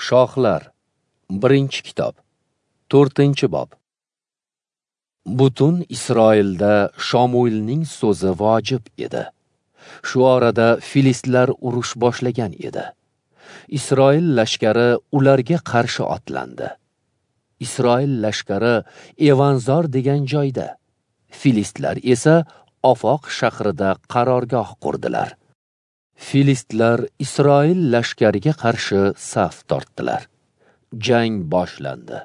Shohlar, 1-kitob, 4-bob. Butun Isroilda Shomuilning so'zi vojib edi. Shu orada filistlar urush boshlagan edi. Isroil lashkari ularga qarshi otlandi. Isroil lashkari Evanzor degan joyda, filistlar esa Ofoq shahrida qarorgoh qurdilar. Filistlar Isroil lashkariga qarshi saf tortdilar. Jang boshlandi.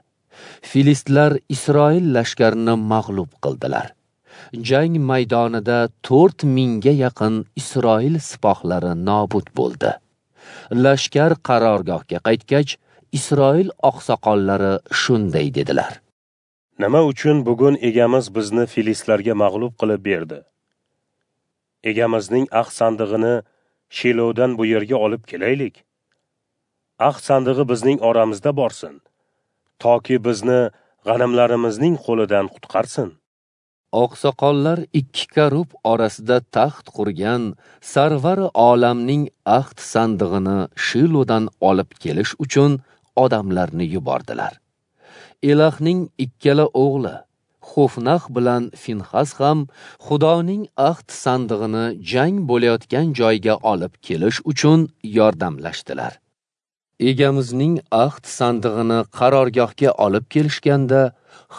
Filistlar Isroil lashkarini mag'lub qildilar. Jang maydonida 4000 ga yaqin Isroil sipohlari nobud bo'ldi. Lashkar qarorgohga qaytgach, Isroil oqsoqollari shunday dedilar: Nima uchun bugun egamiz bizni filistlarga mag'lub qilib berdi? Egamizning ahd sandig'ini Shilodan bu yerga olib kelaylik. Ahd sandig'i bizning oramizda borsin, toki bizni g'animlarimizning qo'lidan qutqarsin. Oqsoqollar ikki karub orasida taxt qurgan Sarvar olamning ahd sandig'ini Shilodan olib kelish uchun odamlarni yubordilar. Elahning ikkala o'g'li Xofnax bilan Finxas ham Xudoning ahd sandig'ini jang bo'layotgan joyga olib kelish uchun yordamlashdilar. Egamizning ahd sandig'ini qarorgohga olib kelishganda,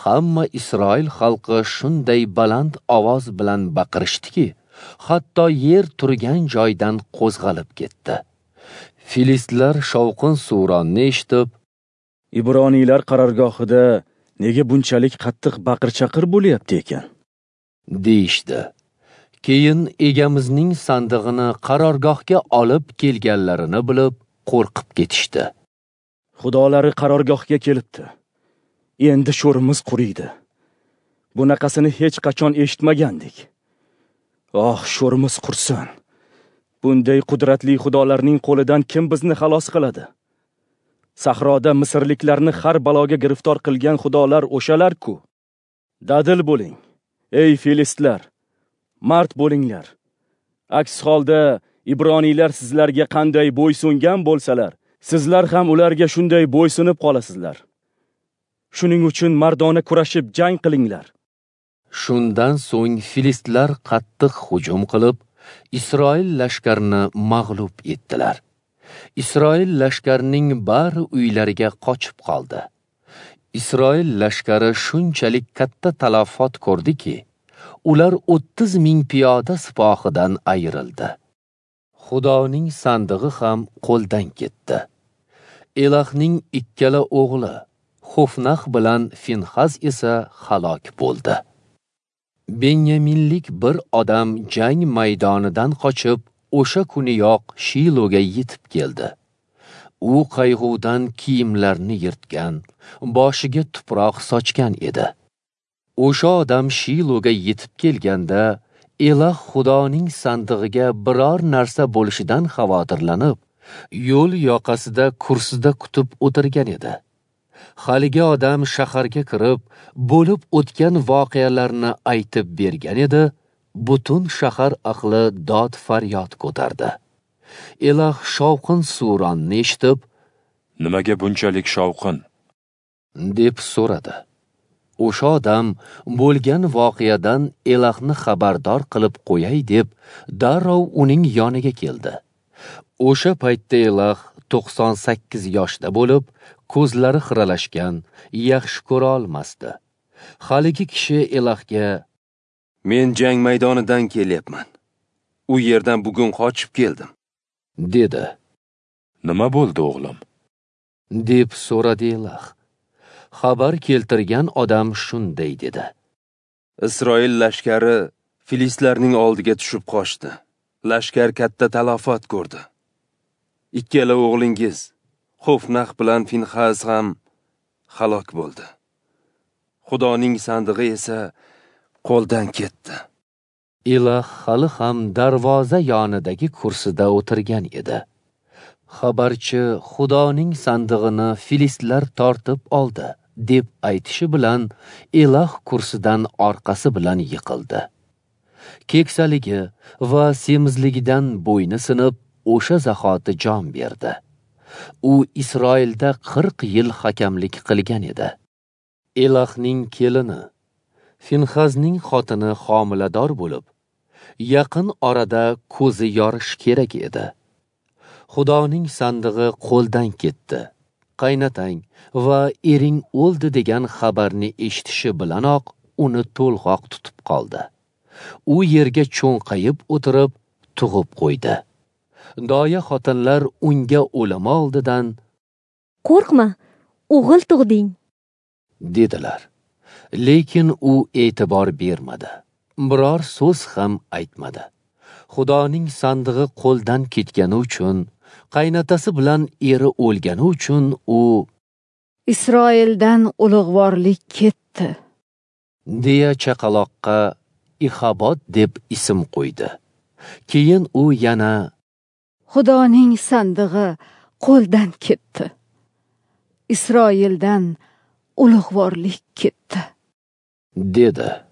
hamma Isroil xalqi shunday baland ovoz bilan baqirishdiki, hatto yer turgan joydan qo'zg'alib ketdi. Filistlar shovqin suronni eshitib, Ibroniylar qarorgohida nega bunchalik qattiq baqir-chaqir bo'lyapti ekan, deyishdi. Keyin egamizning sandig'ini qarorgohga olib kelganlarini bilib, qo'rqib ketishdi. Xudolari qarorgohga kelibdi. Endi sho'rimiz quriydi. Bunaqasini hech qachon eshitmagandik. Oh, sho'rimiz qursin. Bunday qudratli xudolarning qo'lidan kim bizni xalos qiladi? Sahroda misrliklarni har baloga giriftor qilgan xudolar o'shalar-ku. Dadil bo'ling, ey filistlar, mard bo'linglar. Aks holda Ibroniylar sizlarga qanday bo'ysungan bo'lsalar, sizlar ham ularga shunday bo'ysunib qolasizlar. Shuning uchun mardona kurashib jang qilinglar. Shundan so'ng filistlar qattiq hujum qilib, Isroil lashkarini mag'lub etdilar. Isroil lashkarining bari uylariga qochib qoldi. Isroil lashkari shunchalik katta talafot ko'rdiki, ular 30 ming piyoda sipohidan ayrildi. Xudoning sandig'i ham qo'ldan ketdi. Elahning ikkala o'g'li Xofnax bilan Finxas esa halok bo'ldi. Benyaminlik bir odam jang maydonidan qochib, o'sha kuniyoq Shiloga yetib keldi. U qayg'udan kiyimlarini yirtgan, boshiga tuproq sochgan edi. O'sha odam Shiloga yetib kelganda, Elah Xudoning sandig'iga biror narsa bo'lishidan xavotirlanib, yo'l yoqasida kursida kutib o'tirgan edi. Haligi odam shaharga kirib, bo'lib o'tgan voqealarni aytib bergan edi, butun shahar ahli dod faryod ko'tardi. Elah shovqin suronni eshitib, "Nimaga bunchalik shovqin?" deb so'radi. O'sha odam bo'lgan voqeadan Elahni xabardor qilib qo'yay deb darrov uning yoniga keldi. O'sha paytda Elah 98 yoshda bo'lib, ko'zlari xiralashgan, yaxshi ko'ra olmasdi. Haligi kishi Elahga: "Men jang maydonidan kelyapman. U yerdan bugun qochib keldim," dedi. "Nima bo'ldi, o'g'lim?" deb so'radi Elah. Xabar keltirgan odam shunday dedi: "Isroil lashkari filistlarning oldiga tushib qochdi. Lashkar katta talafot ko'rdi. Ikkala o'g'lingiz Xofnax bilan Finxas ham halok bo'ldi. Xudoning sandig'i esa qo'ldan ketdi." Elah hali ham darvoza yonidagi kursida o'tirgan edi. Xabarchi Xudoning sandig'ini filistlar tortib oldi deb aytishi bilan Elah kursidan orqasi bilan yiqildi. Keksaligi va semizligidan bo'yni sinib, o'sha zahoti jon berdi. U Isroilda 40 yil hakamlik qilgan edi. Elahning kelini Finxazning xotini homilador bo'lib, yaqin orada ko'zi yorish kerak edi. Xudoning sandig'i qo'ldan ketdi. Qaynatang va ering o'ldi degan xabarni eshitishi bilanoq uni to'lg'oq tutib qoldi. U yerga cho'nqayib o'tirib tug'ib qo'ydi. Doya xotinlar unga o'limi oldidan "Qo'rqma, o'g'il tug'ding" dedilar. Lekin u e'tibor bermadi. Biror so'z ham aytmadi. Xudoning sandig'i qo'ldan ketgani uchun, qaynatasi bilan eri o'lgani uchun u "Isroildan ulug'vorlik ketdi" deya chaqaloqqa Ixabod deb ism qo'ydi. Keyin u yana "Xudoning sandig'i qo'ldan ketdi. Isroildan ulug'vorlik ketdi" dedi.